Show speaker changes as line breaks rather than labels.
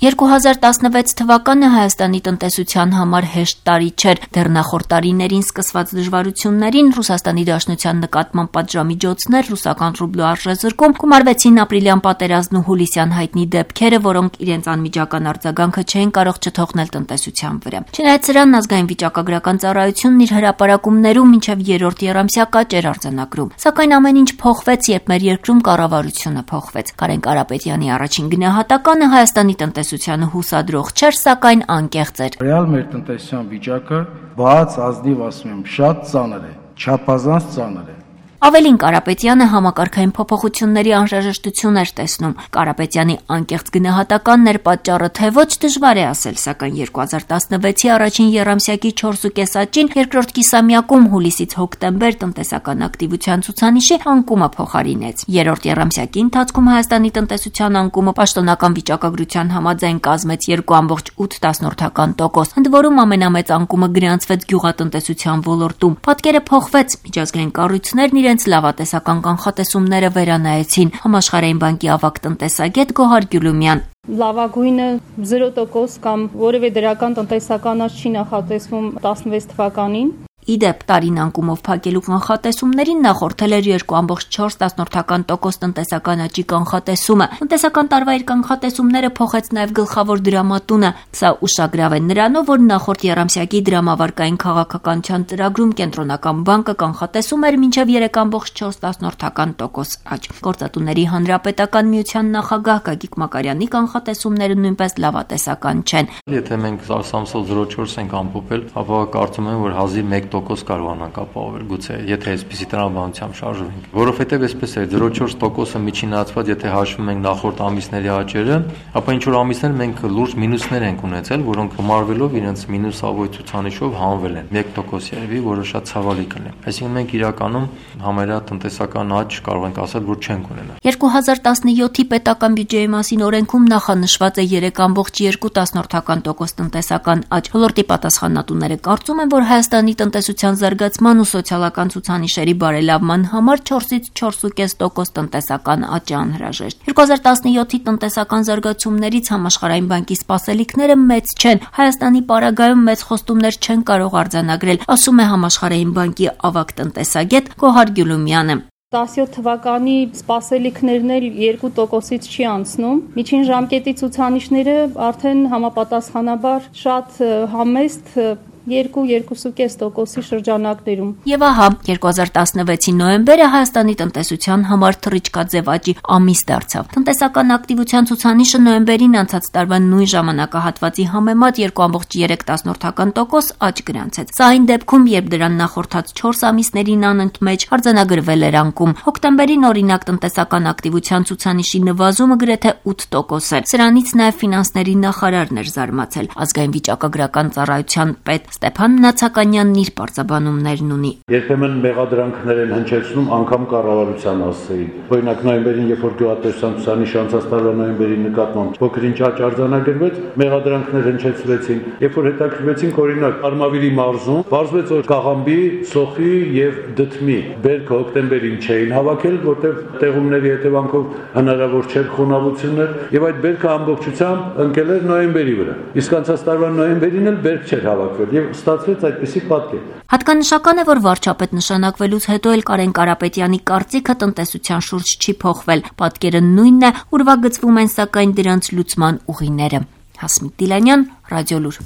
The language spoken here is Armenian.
2016 թվականը Հայաստանի տնտեսության համար հեշտ տարի չէր։ Դեռ նախորդ տարիներին սկսված դժվարություններին Ռուսաստանի Դաշնության նկատմամբ պատժամիջոցներ, ռուսական ռուբլու արժեզրկում, գումարվեցին ապրիլյան պատերազմն ու հուլիսյան հայտնի դեպքերը, որոնք իրենց անմիջական արձագանքը չէին կարող չթողնել տնտեսության վրա։ Չնայած սրան, ազգային վիճակագրական ծառայությունն իր հրապարակումներում մինչև երրորդ եռամսյա աճ էր արձանագրում։ Սակայն ամեն ինչ փոխվեց, երբ մեր երկրում կառավարությունը փոխվեց։ Կարեն Կարապետյանի առաջին գնահատականը Հայաստանի տնտեսությանը հուսադրող չէր, սակայն անկեղծ էր։
Ռեալ մեր տնտեսության վիճակը բաց ազնիվ ասում եմ, շատ ծանր է, չափազանց ծանր է։
Ավելին, Կարապետյանը համակարգային փոփոխությունների անհրաժեշտություն էր տեսնում։ Կարապետյանի անկեղծ գնահատականն էր պատճառը, թե ոչ դժվար է ասել, սակայն 2016-ի առաջին եռամսյակի 4.5 աճին երկրորդ կիսամյակում հուլիսից հոկտեմբեր տնտեսական ակտիվության ցուցանիշի անկումը փոխարինեց։ Երրորդ եռամսյակի ընթացքում Հայաստանի տնտեսության անկումը պաշտոնական վիճակագրության համաձայն կազմեց 2.8%, ընդ որում ամենամեծ անկումը գրանցվեց գյուղատնտեսության ոլորտում։ Պատկերը փոխվեց, միջազգային կառույցներն իրենց լավատեսական կանխատեսումները վերանայեցին։ Համաշխարհային բանկի ավագ տնտեսագետ Գոհար Գյուլումյան։
Լավագույնը 0% կամ որևէ դրական տնտեսական աճ չի նախատեսվում 16 թվականին։
Իդեպ, տարին անկումով փակելու կանխատեսումներին նախորդել էր 2.4% տնտեսական աճի կանխատեսումը։ Տնտեսական տարվա իր կանխատեսումները փոխեց նաև գլխավոր դրամատունը։ Սա ուշագրավ է նրանով, որ նախորդ եռամսյակի դրամավարկային քաղաքականության ծրագրում Կենտրոնական բանկը կանխատեսում էր մինչև 3.4% աճ։ Գործատուների հանրապետական միության նախագահ Գագիկ Մակարյանի կանխատեսումները նույնպես լավատեսական չեն։
Եթե մենք սամսոլ 0.4 ենք ամփոփել, ապա կարծում եմ, որ հազիվ 1% կարողանանք ապահովել, գուցե, եթե այսպիսի տրամաբանությամբ շարժվենք։ Որովհետև այսպես է, 0.4%-ը միջինացված, եթե հաշվում ենք նախորդ ամիսների աճերը, ապա ինչ որ ամիսներ մենք լուրջ մինուսներ ենք ունեցել, որոնք գումարվելով իրենց մինուսավոր ցուցանիշով հանվել են 1% երևի, որը շատ ցավալի կլինի։ Այսինքն մենք իրականում համարյա տնտեսական աճ կարող ենք ասել, որ չենք ունենա։
2017-ի պետական բյուջեի մասին օրենքում նախանշված է 3.2% տնտեսական աճ։ Ոլորտի պատասխանատուները կարծում են, որ Հայաստանի տնտեսության զարգացման ու սոցիալական ցուցանիշերի բարելավման համար 4-ից 4.5% տնտեսական աճ է անհրաժեշտ։ 2017-ի տնտեսական զարգացումներից Համաշխարհային բանկի սպասելիքները մեծ չեն։ Հայաստանի պարագայում մեծ խոստումներ չեն կարող արձանագրել, ասում է Համաշխարհային բանկի ավագ տնտեսագետ Գոհար Գյուլումյանը։
17 թվականի սպասելիքներն էլ 2%-ից չի անցնում։ Միջին ժամկետի ցուցանիշները արդեն համապատասխանաբար շատ համեստ 2-2.5%-ի շրջանակներում։
Եվ ահա 2016-ի նոյեմբերը Հայաստանի տնտեսության համար թռիչքաձև աճի ամիս դարձավ։ Տնտեսական ակտիվության ցուցանիշը նոյեմբերին անցած տարվա նույն ժամանակահատվածի համեմատ 2.3% աճ գրանցեց։ Սա այն դեպքում, երբ դրան նախորդած 4 ամիսներին անընդմեջ արձանագրվել էր անկում։ Հոկտեմբերին օրինակ տնտեսական ակտիվության ցուցանիշի նվազումը գրեթե 8% էր։ Սրանից նաև ֆինանսների նախարարն էր զարմացել։ Ազգային վիճակագրական ծառայության պետ Ստեփան Նացականյանն իր պարզաբանումներն ունի։
Երբեմն մեղադրանքներ են հնչեցնում անգամ կառավարության հասցեին։ Օրինակ նոյեմբերին, երբ որ գյուղատնտեսության ցուցանիշը անցած տարվա նոյեմբերի նկատմամբ փոքր-ինչ աճ արձանագրվեց, մեղադրանքներ հնչեցվեցին։ Երբ որ հետաքրքրվեցինք օրինակ Արմավիրի մարզում, պարզվեց, որ կաղամբի, սոխի եւ դդմի բերքը հոկտեմբերին չէին հավաքել, որտեղ տեղումների հետևանքով հնարավոր չէր խոնավություններ, եւ այդ բերքը ամբողջությամբ ընկել էր նոյեմբերի վրա։ Իսկ անցած տարվա նոյեմբերին էլ բերք չէր հավաքվել։ Ստացվեց այդպիսի պատկեր։
Հատկանշական է, որ վարչապետ նշանակվելուց հետո էլ Կարեն Կարապետյանի կարծիքը տնտեսության շուրջ չի փոխվել։ Պատկերը նույնն է, ուրվագծվում են սակայն դրանց լուծման ուղիները։ Հասմիկ Դիլանյան, Ռադիոլուր։